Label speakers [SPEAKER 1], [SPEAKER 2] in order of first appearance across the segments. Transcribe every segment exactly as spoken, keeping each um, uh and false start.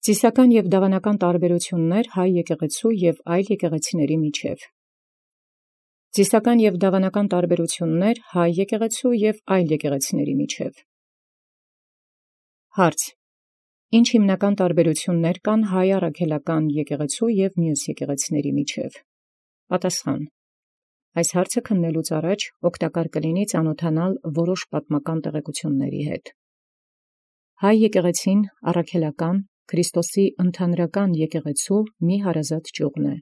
[SPEAKER 1] Ծիսական և դավանական տարբերություններ հայ եկեղեցու և այլ եկեղեցիների միջև։ Ծիսական և դավանական տարբերություններ հայ եկեղեցու և այլ եկեղեցիների միջև։ Հարց. Ինչ հիմնական տարբերություններ կան հայ առաքելական եկեղեցու և մյուս եկեղեցիների միջև։ Պատասխան. Այս հարցը քննելուց առաջ օգտակար կլինի ծանոթանալ որոշ պատմական տեղեկությունների հետ։ Հայ եկեղեցին առաքելական Քրիստոսի ընդհանրական եկեղեցու մի հարազատ ճյուղն է։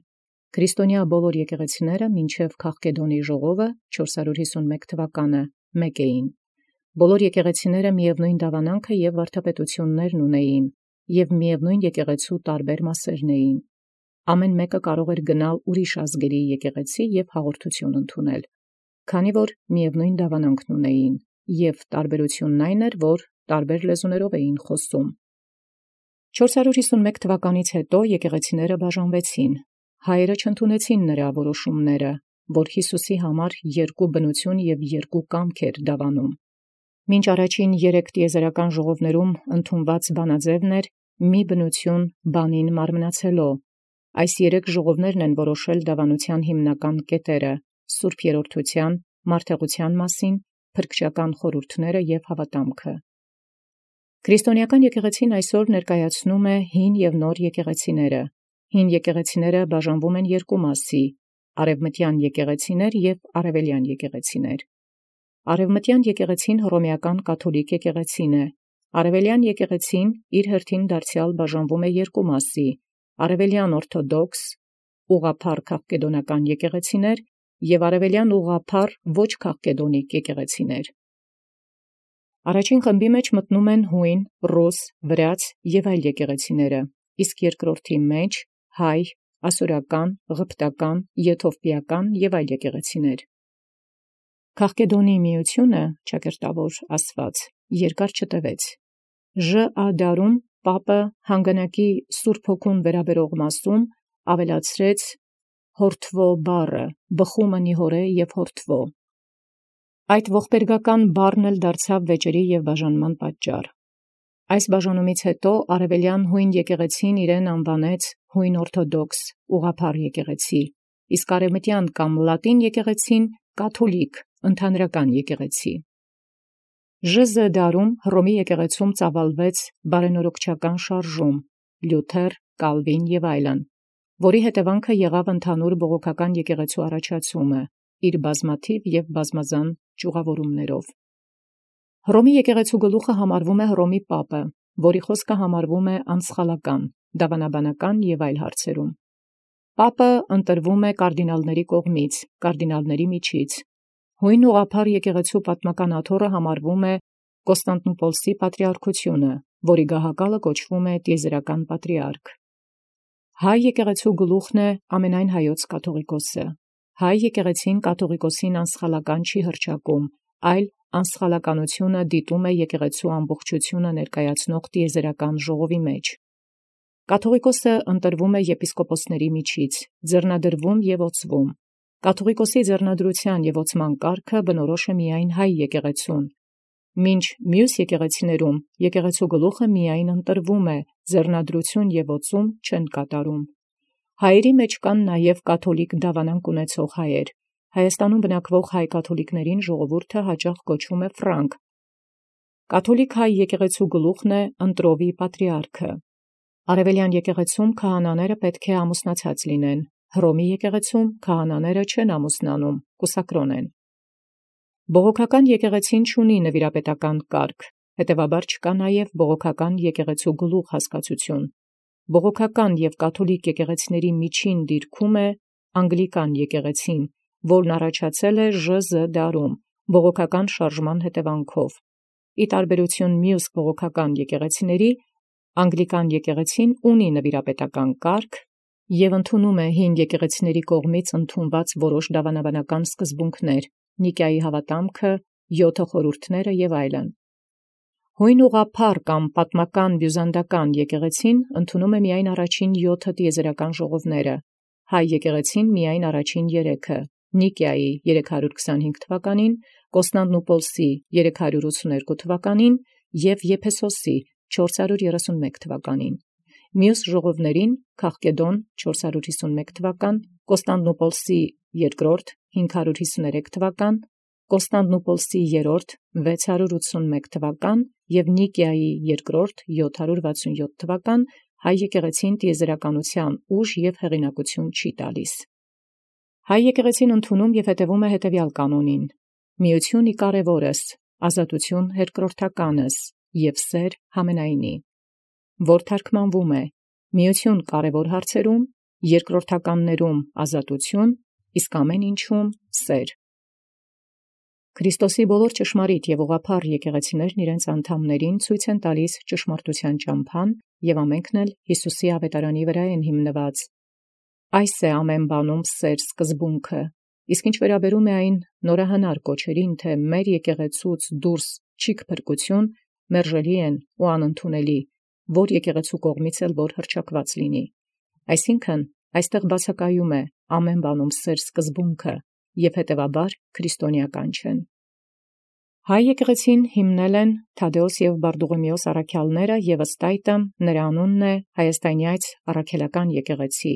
[SPEAKER 1] Քրիստոնյա բոլոր եկեղեցիները մինչև Քաղկեդոնի ժողովը չորսսուն հիսունմեկ թվականը մեկ էին։ Բոլոր եկեղեցիները միևնույն դավանանքը և վարդապետություններն ունեին, և միևնույն եկեղեցու տարբեր մասերն էին։ Ամեն մեկը կարող էր գնալ ուրիշ ազգերի եկեղեցի և հաղորդություն ընդունել, քանի որ միևնույն դավանանքն ունեին, և տարբերությունն այն էր, որ տարբեր լեզուներով էին խոսում։ չորսսուն հիսունմեկ թվականից հետո եկեղեցիները բաժանվեցին։ Հայերը չընդունեցին նրա որոշումները, որ Յիսուսի համար երկու բնություն և երկու կամք էր դավանում։ Մինչ առաջին երեք տիեզերական ժողովներում ընդունված բանաձևն էր մի բնություն բանին մարմնացելո։ Այս երեք ժողովներն են որոշել դավանության հիմնական կետերը՝ սուրբ երրորդության, մարդեղության մասին, փրկչական խորհուրդները և հավատամքը։ Քրիստոնեական եկեղեցին այսօր ներկայացնում է հին և նոր եկեղեցիները։ Հին եկեղեցիները բաժանվում են երկու մասի՝ արևմտյան եկեղեցիներ և արևելյան եկեղեցիներ։ Արևմտյան եկեղեցին հռոմեական կաթոլիկ եկեղեցին է։ Արևելյան եկեղեցին իր հերթին դարձյալ բաժանվում է երկու մասի՝ արևելյան օրթոդոքս ուղղափառ քաղկեդոնական եկեղեցիներ և արևելյան ուղղափառ ոչ քաղկեդոնիկ եկեղեցիներ։ Առաջին խմբի մեջ մտնում են հույն, ռուս, վրաց և այլ եկեղեցիները, իսկ երկրորդի մեջ հայ, ասորական, ղփտական, եթովպիական և այլ եկեղեցիներ։ Քաղկեդոնի միությունը, ճակերտավոր ասված, երկար չտևեց։ Ժ.Ա. դարում պապը հանգանակի Սուրբ Հոգուն վերաբերող մասում ավելացրեց հորդվո բառը, բխումը նիհորէ և հորդվո։ Այդ ողբերգական բառն էլ դարձավ վեճերի և բաժանման պատճառ։ Այս բաժանումից հետո արևելյան հույն եկեղեցին իրեն անվանեց հույն օրթոդոքս ուղղափառ եկեղեցի, իսկ արևմտյան կամ լատին եկեղեցին կաթոլիկ ընդհանրական եկեղեցի։ Ժ.Զ. դարում Հռոմի եկեղեցում ծավալվեց բարենորոգչական շարժում՝ Լյութեր, Կալվին և այլն, որի հետևանքը եղավ ընդհանուր բողոքական եկեղեցու առաջացումը՝ իր բազմաթիվ և բազմազան ճյուղավորումներով։ Հռոմի եկեղեցու գլուխը համարվում է Հռոմի պապը, որի խոսքը համարվում է անսխալական, դավանաբանական և այլ հարցերում։ Պապը ընտրվում է կարդինալների կողմից, կարդինալների միջից։ Հույն ուղղափառ եկեղեցու պատմական աթոռը համարվում է Կոստանդնուպոլսի պատրիարքությունը, որի գահակալը կոչվում է տիեզերական պատրիարք։ Հայ եկեղեցու գլուխն է ամենայն հայոց կաթողիկոսը։ Հայ եկեղեցին կաթողիկոսին անսխալական չի հռչակում, այլ անսխալականությունը դիտում է եկեղեցու ամբողջությունը ներկայացնող տիեզերական ժողովի մեջ։ Կաթողիկոսը ընտրվում է եպիսկոպոսների միջից, ձեռնադրվում և օծվում։ Կաթողիկոսի ձեռնադրության և օծման կարգը բնորոշ է միայն հայ եկեղեցուն, մինչ մյուս եկեղեցիներում եկեղեցու գլուխը միայն ընտրվում է, ձեռնադրություն և օծում չեն կատարում։ Հայերի մեջ կան նաև կաթոլիկ դավանանք ունեցող հայեր։ Հայաստանում բնակվող հայ կաթոլիկներին ժողովուրդը հաճախ կոչում է ֆրանկ։ Կաթոլիկ հայ եկեղեցու գլուխն է ընտրովի պատրիարքը։ Արևելյան եկեղեցում քահանաները պետք է ամուսնացած լինեն։ Հռոմի եկեղեցում քահանաները չեն ամուսնանում, կուսակրոն են։ Բողոքական եկեղեցին չունի նվիրապետական կարգ, հետևաբար չկա նաև բողոքական եկեղեցու գլուխ հասկացություն։ Բողոքական և կաթոլիկ եկեղեցիների միջին դիրքում է անգլիկան եկեղեցին, որն առաջացել է Ժ.Զ. դարում բողոքական շարժման հետևանքով։ Ի տարբերություն մյուս բողոքական եկեղեցիների, անգլիկան եկեղեցին ունի նվիրապետական կարգ և ընդունում է հին եկեղեցիների կողմից ընդունված որոշ դավանաբանական սկզբունքներ, Նիկիայի հավատամքը, յոթը խորհուրդները և այլն։ Հույն ուղղափառ կամ պատմական բյուզանդական եկեղեցին ընդունում է միայն առաջին յոթը տիեզերական ժողովները, հայ եկեղեցին միայն առաջին երեքը՝ Նիկիայի երեք հարյուր քսանհինգ թվականին, Կոստանդնուպոլսի երեք հարյուր ութսուներկու թվականին և Եփեսոսի չորս հարյուր երեսունմեկ թվականին։ մյուս ժողովներին Քաղկեդոն չորս հարյուր հիսունմեկ թվական, Կոստանդնուպոլսի երկրորդ հինգ հարյուր հիսուներեք թվական, Կոստանդնուպոլսի երրորդ վեց հարյուր ութսունմեկ թվական և Նիկիայի երկրորդ յոթ հարյուր վաթսունյոթ թվական հայ եկեղեցին տիեզերականության ուժ և հեղինակություն չի տալիս։ Հայ եկեղեցին ընդունում և հետևում է հետևյալ կանոնին. միություն ի կարևորս, ազատություն երկրորդականս և սեր համենայնի, որ թարգմանվում է միություն կարևոր հարցերում, երկրորդականներում ազատություն, իսկ ամեն ինչում սեր։ Քրիստոսի բոլոր ճշմարիտ և ուղղափառ եկեղեցիներն իրենց անդամներին ցույց են տալիս ճշմարտության ճամփան և ամենքն էլ Յիսուսի ավետարանի վրա են հիմնված։ Այս է ամեն բանում սեր սկզբունքը, իսկ ինչ վերաբերում է այն նորահնար կոչերին, թե մեր եկեղեցուց դուրս չիք փրկություն, մերժելի են ու անընդունելի, որ եկեղեցու կողմից էլ որ հռչակված լինի։ Այսինքն, այստեղ բացակայում է ամեն բանում սեր սկզբունքը և հետևաբար քրիստոնեական չեն։ Հայ եկեղեցին հիմնել են Թադէոս և Բարդուղիմեոս առաքյալները և ըստ այդմ նրա անունն է Հայաստանյաց առաքելական եկեղեցի։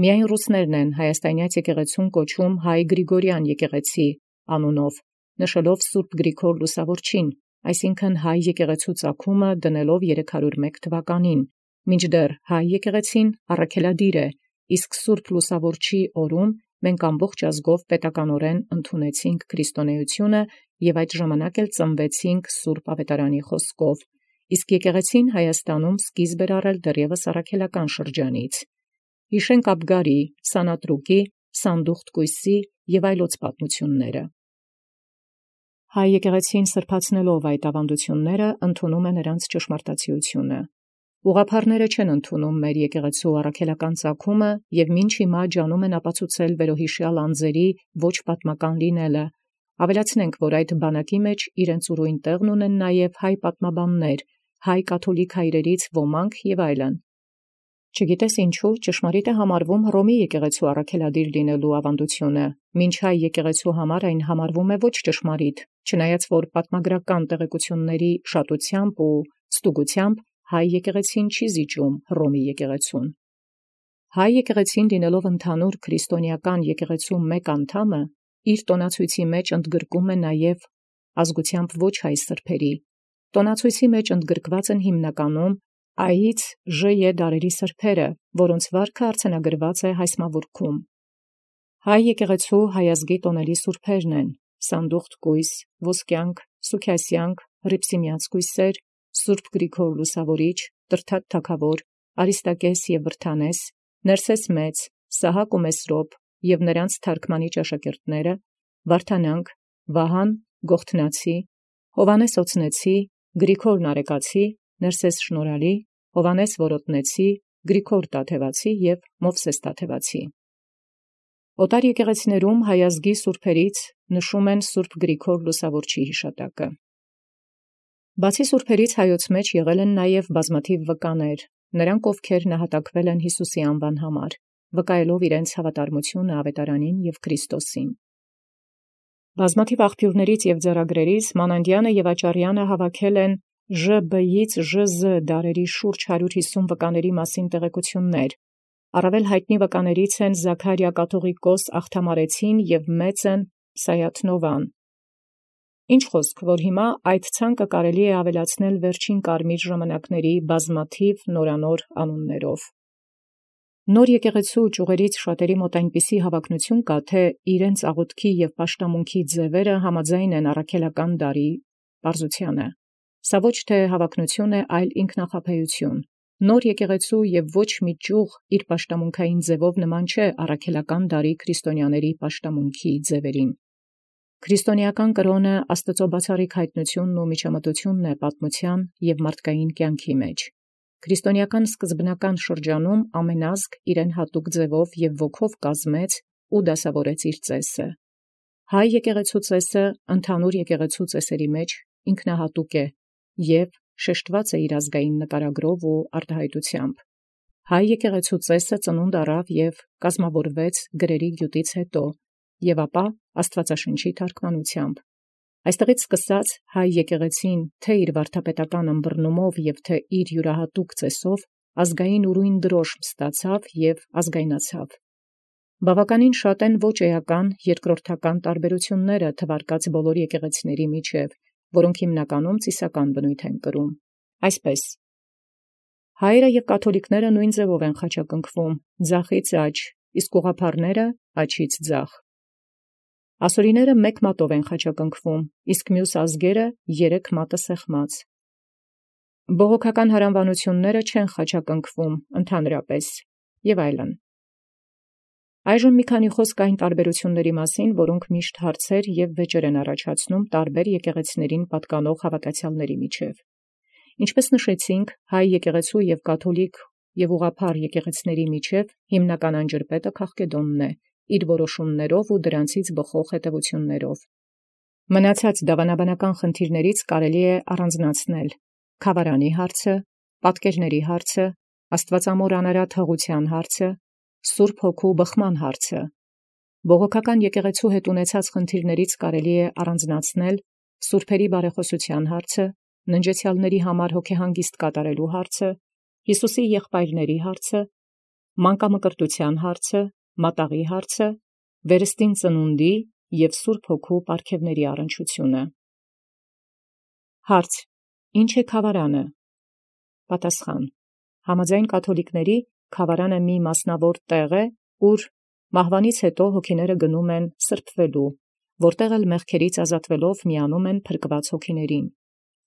[SPEAKER 1] Միայն ռուսներն են Հայաստանյաց եկեղեցուն կոչում Հայ Գրիգորյան եկեղեցի անունով, նշելով Սուրբ Գրիգոր Լուսավորչին, այսինքն հայ եկեղեցու ծագումը դնելով երեք հարյուր մեկ թվականին, մինչդեռ հայ եկեղեցին առաքելադիր է, իսկ Սուրբ Լուսավորչի օրում մենք ամբողջ ազգով պետականորեն ընդունեցինք քրիստոնեությունը և այդ ժամանակ էլ ծնվեցինք Սուրբ Ավետարանի խոսքով, իսկ եկեղեցին Հայաստանում սկիզբ էր առել դեռևս առաքելական շրջանից։ Հիշենք Աբգարի, Սանատրուկի, Սանդուխտ-Կույսի և այլոց պատմությունները։ Հայ եկեղեցին սրբացնելով այդ ավանդությունները ընդունում է նրանց ճշմարտացիությունը։ Ուղղափառները չեն ընդունում մեր եկեղեցու առաքելական ծագումը և մինչ հիմա ջանում են ապացուցել վերոհիշյալ անձերի ոչ պատմական լինելը։ Ավելացնենք, որ այդ բանակի մեջ իրենց ուրույն տեղն ունեն նաև հայ պատմաբաններ, հայ կաթոլիկ հայրերից ոմանք և այլն։ Չգիտես ինչու ճշմարիտ է համարվում Հռոմի եկեղեցու առաքելադիր լինելու ավանդությունը, մինչ հայ եկեղեցու համար այն համարվում է ոչ ճշմարիտ, չնայած որ պատմագրական տեղեկությունների շատությամբ ու ստուգությամբ հայ եկեղեցին չի զիջում Հռոմի եկեղեցուն։ Հայ եկեղեցին լինելով ընդհանուր քրիստոնեական եկեղեցու մեկ անդամը, իր տոնացույցի մեջ ընդգրկում է նաև ազգությամբ ոչ հայ սրբերի։ Տոնացույցի մեջ ընդգրկված են հիմնականում Այից Ժ դարերի սրբերը, որոնց վարքը արձանագրված է հայսմավուրքում։ Հայ եկեղեցու հայազգի տոնելի սուրբերն են Սանդուխտ կույս, Ոսկյանք, Սուքիասյանք, Հռիփսիմյանց կույսեր, Սուրբ Գրիգոր Լուսավորիչ, Տրդատ թագավոր, Արիստակես և Վրթանես, Ներսես մեծ, Սահակ ու Մեսրոպ և նրանց թարգմանիչ աշակերտները, Վարդանանք, Վահան Գողթնացի, Հովանես Օցնեցի, Գրիգոր Նարեկացի, Ներսես Շնորհալի, Հովանես Որոտնեցի, Գրիգոր Տաթևացի և Մովսես Տաթևացի։ Օտար եկեղեցիներում հայազգի սուրբերից նշում են Սուրբ Գրիգոր Լուսավորչի հիշատակը։ Բացի սուրբերից հայոց մեջ եղել են նաև բազմաթիվ վկաներ, նրանք ովքեր նահատակվել են Հիսուսի անվան համար, վկայելով իրենց հավատարմությունը ավետարանին և Քրիստոսին։ Բազմաթիվ աղբյուրներից և ձեռագրերից Մանանդյանը և Աճարյանը հավաքել են Ժ Բ-ից Ժ Զ դարերի շուրջ հարյուր հիսուն վկաների մասին տեղեկություններ։ Առավել հայտնի վկաներից են Զաքարիա կաթողիկոս Աղթամարեցին և մեծն Սայաթնովան։ Ինչ խոսք, որ հիմա այդ ցանկը կարելի է ավելացնել վերջին կարմիր ժամանակների բազմաթիվ նորանոր անուններով։ Նոր եկեղեցու ճյուղերից շատերի մոտ այնպիսի հավակնություն կա, թե իրենց աղոթքի և պաշտամունքի ձևերը համաձայն են առաքելական դարի պարզությանը։ Սա ոչ թե հավակնություն է, այլ ինքնախաբեություն։ Նոր եկեղեցու և ոչ մի ճյուղ իր պաշտամունքային ձևով նման չէ առաքելական դարի քրիստոնյաների պաշտամունքի ձևերին։ Քրիստոնեական կրոնը Աստծո բացառիկ հայտնությունն ու միջամտությունն է պատմության և մարդկային կյանքի մեջ։ Քրիստոնեական սկզբնական շրջանում ամեն ազգ իրեն հատուկ ձևով և ոգով կազմեց ու դասավորեց իր ծեսը։ Հայ եկեղեցու ծեսը ընդհանուր եկեղեցու ծեսերի մեջ ինքնահատուկ է և շեշտված է իր ազգային նկարագրով ու արտահայտությամբ։ Հայ եկեղեցու ծեսը ծնունդ առավ և կազմավորվեց գրերի գյուտից հետո և ապա Աստվածաշնչի թարգմանությամբ։ Այստեղից սկսած հայ եկեղեցին թե իր վարդապետական ըմբռնումով և թե իր յուրահատուկ ծեսով ազգային ուրույն դրոշմ ստացավ և ազգայնացավ։ Բավականին շատ են ոչ էական երկրորդական տարբերությունները թվարկած բոլոր եկեղեցիների միջև, որոնք հիմնականում ծիսական բնույթ են կրում։ Այսպես, հայերը և կաթոլիկները նույն ձևով են խաչակնքվում, ձախից աջ, իսկ ուղղափառները աջից ձախ։ Ասորիները մեկ մատով են խաչակնքվում, իսկ մյուս ազգերը երեք մատը սեղմած։ Բողոքական հարանվանությունները չեն խաչակնքվում ընդհանրապես և այլն։ Այժմ մի քանի խոսք այն տարբերությունների մասին, որոնք միշտ հարցեր և վեճեր են առաջացնում տարբեր եկեղեցիներին պատկանող հավատացյալների միջև։ Ինչպես նշեցինք, հայ եկեղեցու և կաթոլիկ և ուղղափառ եկեղեցիների միջև հիմնական անջրպետը Քաղկեդոնն է, իր որոշումներով ու դրանցից բխող հետևություններով։ Մնացած դավանաբանական խնդիրներից կարելի է առանձնացնել քավարանի հարցը, պատկերների հարցը, աստվածամոր անարատ հղության հարցը, Սուրբ Հոգու բխման հարցը։ Բողոքական եկեղեցու հետ ունեցած խնդիրներից կարելի է առանձնացնել սուրբերի բարեխոսության հարցը, ննջեցյալների համար հոգեհանգիստ կատարելու հարցը, Հիսուսի եղբայրների հարցը, մանկամկրտության հարցը, մատաղի հարցը, վերստին ծնունդի և Սուրբ Հոգու պարգևների առնչությունը։ Հարց. Ինչ է քավարանը։ Պատասխան. Համաձայն կաթոլիկների քավարանը մի մասնավոր տեղ է, ուր մահվանից հետո հոգիները գնում են սրբվելու, որտեղ էլ մեղքերից ազատվելով միանում են փրկված հոգիներին։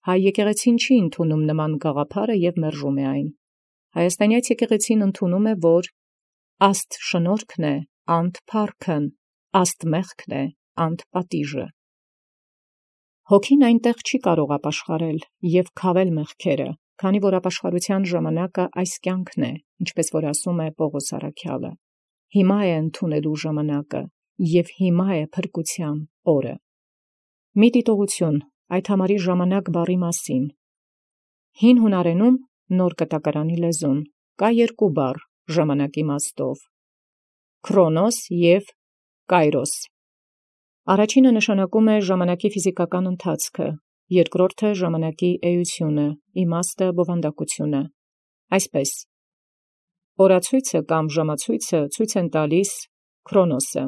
[SPEAKER 1] Հայ եկեղեցին չի ընդունում նման գաղափարը և մերժում է այն։ Հայաստանյաց եկեղեցին ընդունում է, որ աստ շնորհքն է, անդ փառքն, աստ մեղքն է, անդ պատիժը։ Հոգին այնտեղ չի կարող ապաշխարել և քավել մեղքերը, քանի որ ապաշխարության ժամանակը այս կյանքն է, ինչպես որ ասում է Պողոս առաքյալը։ Հիմա է ընդունելու ժամանակը և հիմա է փրկության օրը։ Մի դիտողություն այդ համարի ժամանակ բառի մասին։ Հին հունարենում նոր կտակարանի լեզուն կա երկու բառ ժամանակ իմաստով՝ քրոնոս և կայրոս։ Առաջինը նշանակում է ժամանակի ֆիզիկական ընթացքը, երկրորդը ժամանակի էությունը, իմաստը, բովանդակությունը։ Այսպես, օրացույցը կամ ժամացույցը ցույց են տալիս քրոնոսը,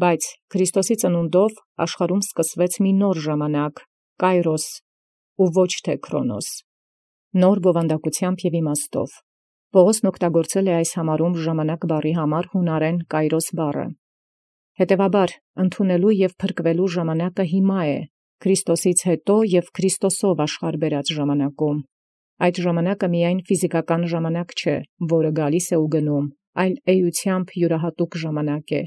[SPEAKER 1] բայց Քրիստոսի ծնունդով աշխարհում սկսվեց մի նոր ժամանակ՝ կայրոս, ու ոչ թե քրոնոս, նոր բովանդակությամբ և իմաստով։ Պողոսն օգտագործել է այս համարում ժամանակ բառի համար հունարեն կայրոս բառը։ Հետևաբար, ընդունելու և փրկվելու ժամանակը հիմա է, Քրիստոսից հետո և Քրիստոսով աշխարհ բերած ժամանակում։ Այդ ժամանակը միայն ֆիզիկական ժամանակ չէ, որը գալիս է ու գնում, այլ էությամբ յուրահատուկ ժամանակ է,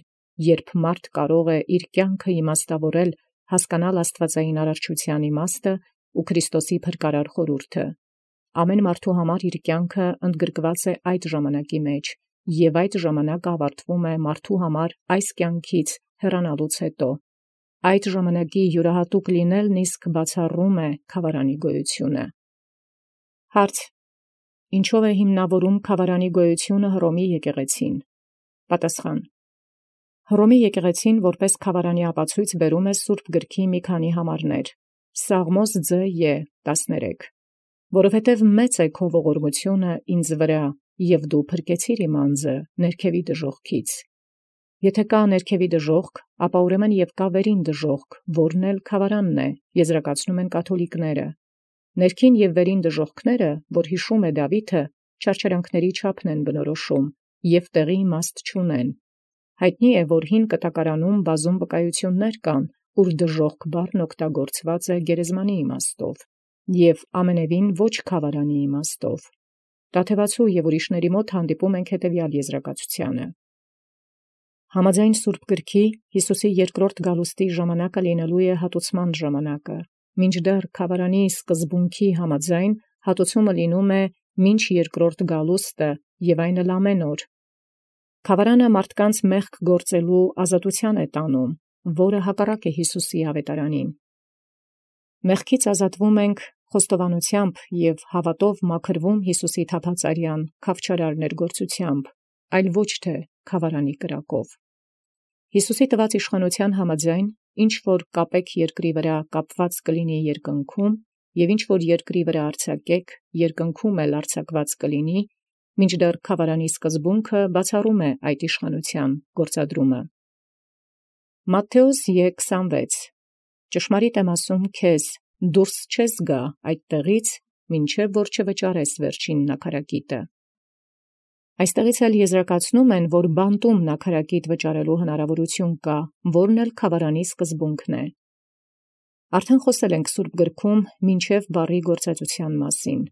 [SPEAKER 1] երբ մարդ կարող է իր կյանքը իմաստավորել, հասկանալ աստվածային արարչության իմաստը ու Քրիստոսի փրկարար խորհուրդը։ Ամեն մարդու համար իր կյանքը ընդգրկված է այդ ժամանակի մեջ, և այդ ժամանակը ավարտվում է մարդու համար այս կյանքից հեռանալուց հետո։ Այդ ժամանակի յուրահատուկ լինելն իսկ բացառում է քավարանի գոյությունը։ Հարց. Ինչով է հիմնավորում քավարանի գոյությունը Հռոմի եկեղեցին։ Պատասխան. Հռոմի եկեղեցին որպես քավարանի ապացույց բերում է Սուրբ գրքի մի քանի համարներ. Սաղմոս ձ Ե տասներեք, որովհետև մեծ է քո ողորմությունը ինձ վրա, և դու փրկեցիր իմ անձը ներքևի դժոխքից։ Եթե կա ներքևի դժոխք, ապա ուրեմն և կա վերին դժոխք, որն էլ քավարանն է, եզրակացնում են կաթոլիկները։ Ներքին և վերին դժոխքները, որ հիշում է Դավիթը, չարչարանքների չափն են բնորոշում և տեղի իմաստ չունեն։ Հայտնի է, որ հին կտակարանում բազում վկայություններ կան, ուր դժոխք բառն օգտագործված է գերեզմանի իմաստով և ամենևին ոչ քավարանի իմաստով։ Տաթևացու և ուրիշների մոտ հանդիպում ենք հետևյալ եզրակացությանը. Համաձայն Սուրբ գրքի Հիսուսի երկրորդ գալուստի ժամանակը լինելու է հատուցման ժամանակը, մինչդեռ քավարանի սկզբունքի համաձայն հատուցումը լինում է մինչ երկրորդ գալուստը և այն էլ ամեն օր։ Քավարանը մարդկանց մեղք գործելու ազատության է տանում, որը հակառակ է Հիսուսի ավետարանին։ Մեղքից ազատվում ենք խոստովանությամբ և հավատով մաքրվում Հիսուսի թափածարյան քավչարար ներգործությամբ, այլ ոչ թե քավարանի կրակով։ Հիսուսի տված իշխանության համաձայն, ինչ որ կապեք երկրի վրա կապված կլինի երկնքում, և ինչ որ երկրի վրա արձակեք, երկնքում էլ արձակված կլինի, մինչդեռ քավարանի սկզբունքը բացառում է այդ իշխանության գործադրումը։ Մատթեոս երկսանվեց. Ճշմարիտ եմ ասում քեզ, դուրս չես գա այդ տեղից, մինչև որ չվճարես վերջին նաքարակիտը։ Այստեղից էլ եզրակացնում են, որ բանտում նաքարակիտ վճարելու հնարավորություն կա, որն էլ քավարանի սկզբունքն է։ Արդեն խոսել ենք Սուրբ գրքում մինչև բառի գործածության մասին։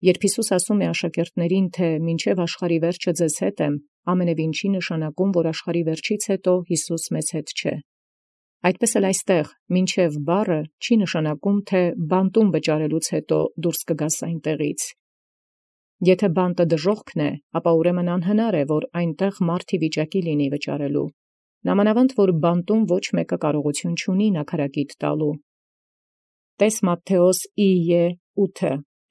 [SPEAKER 1] Երբ Հիսուս ասում է աշակերտներին, թե մինչև աշխարհի վերջը ձեզ հետ եմ, ամենևին չի նշանակում, որ աշխարհի վերջից հետո Հիսուս մեզ հետ չէ։ Այդպես էլ այստեղ մինչև բառը չի նշանակում, թե բանտում վճարելուց հետո դուրս կգաս այնտեղից։ Եթե բանտը դժոխքն է, ապա ուրեմն անհնար է, որ այնտեղ մարդի վիճակի լինի վճարելու։ Նամանավանդ, որ բանտում ոչ մեկը կարողություն չունի նաքարակիտ տալու։ Տես Մատթեոս ութ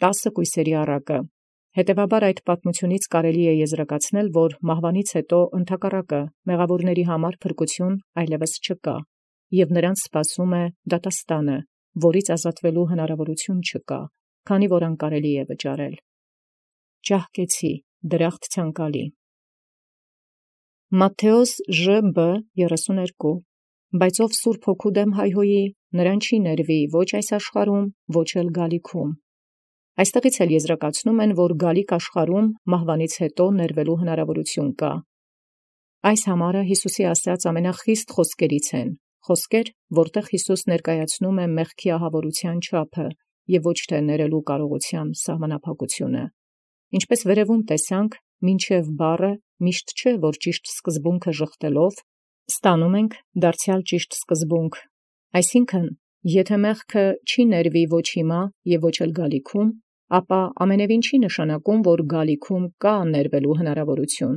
[SPEAKER 1] տասը կույսերի առակը։ Հետևաբար այդ պատմությունից կարելի է եզրակացնել, որ մահվանից հետո ընդհակառակը մեղավորների համար փրկություն այլևս չկա, և նրանց սպասում է դատաստանը, որից ազատվելու հնարավորություն չկա, քանի որ անկարելի է վճարել։ Ճահկեցի, դրախտ ցանկալի։ Մատթեոս Ժ.Բ. երեսուներկու Բայց ով Սուրբ Հոգու դեմ հայհոյի, նրան չի ներվի ոչ այս աշխարհում, ոչ էլ գալիքում։ Այստեղից էլ եզրակացնում են, որ գալիք աշխարհում մահվանից հետո ներվելու հնարավորություն կա։ Այս համարը Հիսուսի ասած ամենախիստ խոսքերից են, խոսքեր, որտեղ Հիսուս ներկայացնում է մեղքի ահավորության չափը և ոչ թե ներելու կարողության սահմանափակությունը։ Ինչպես վերևում տեսանք, մինչև բառը միշտ չէ, որ ճիշտ սկզբունքը ժխտելով ստանում ենք դարձյալ ճիշտ սկզբունք։ Այսինքն, եթե մեղքը չի ներվի ոչ հիմա և ոչ էլ գալիքում, ապա ամենևին չի նշանակում, որ գալիքում կա ներվելու հնարավորություն։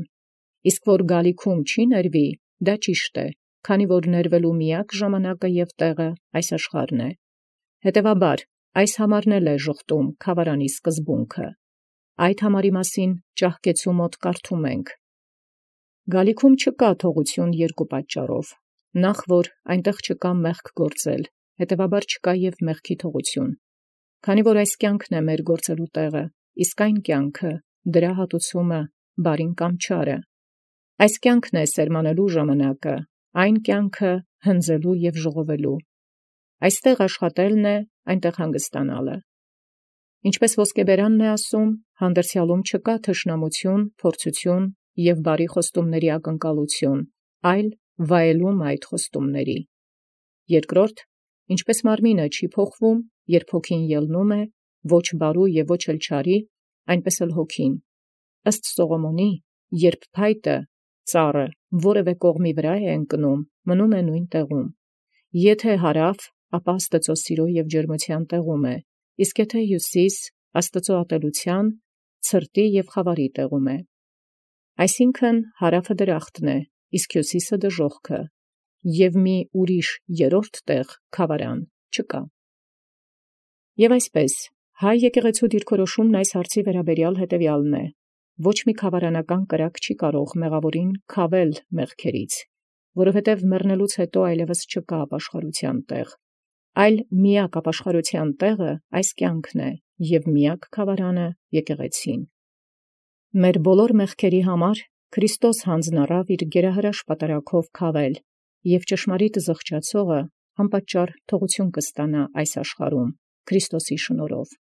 [SPEAKER 1] Իսկ որ գալիքում չի ներվի, դա ճիշտ է, քանի որ ներվելու միակ ժամանակը և տեղը այս աշխարհն է։ Հետևաբար, այս համարն էլ է ժխտում քավարանի սկզբունքը։ Այդ համարի մասին ճահկեցու մոտ կարդում ենք. Գալիքում չկա թողություն երկու պատճառով. նախ, որ այնտեղ չկա մեղք գործել, հետևաբար չկա և մեղքի թողություն, քանի որ այս կյանքն է մեր գործելու տեղը, իսկ այն կյանքը, դրա հատուցումը, բարին կամ չարը։ Այս կյանքն է սերմանելու ժամանակը, այն կյանքը հնձելու և ժողովելու։ Այստեղ աշխատելն է, այնտեղ հանգստանալը։ Ինչպես ոսկեբերանն է ասում, հանդերձյալում չկա թշնամություն, փորձություն և բարի խոստումների ակնկալություն, այլ վայելում այդ խոստումների։ Երկրորդ, ինչպես մարմինը չի փոխվում, երբ հոգին ելնում է, ոչ բարու և ոչ էլ չարի, այնպես էլ հոգին։ Ըստ Սողոմոնի, երբ փայտը, ծառը, որևէ կողմի վրա է ընկնում, մնում է նույն տեղում։ Եթե հարավ, ապա Աստծո սիրո և ջերմության տեղում է, իսկ եթե հյուսիս, Աստծո ատելության, ցրտի և խավարի տեղում է։ Այսինքն հարավը դրախտն է, իսկ հյուսիսը դժոխքը, և մի ուրիշ երրորդ տեղ քավարան չկա։ Եւ այսպես, հայ եկեղեցու դիրքորոշումն այս հարցի վերաբերյալ հետևյալն է. ոչ մի քավարանական կրակ չի կարող մեղավորին քավել մեղքերից, որովհետև մեռնելուց հետո այլևս չկա ապաշխարության տեղ, այլ միակ ապաշխարության տեղը այս կյանքն է, և միակ քավարանը եկեղեցին։ Մեր բոլոր մեղքերի համար Քրիստոս հանձնառավ իր գերահրաշ պատարագով քավել, և ճշմարիտ զղջացողը անպատճառ թողություն կստանա այս աշխարհում Քրիստոսի շնորհով։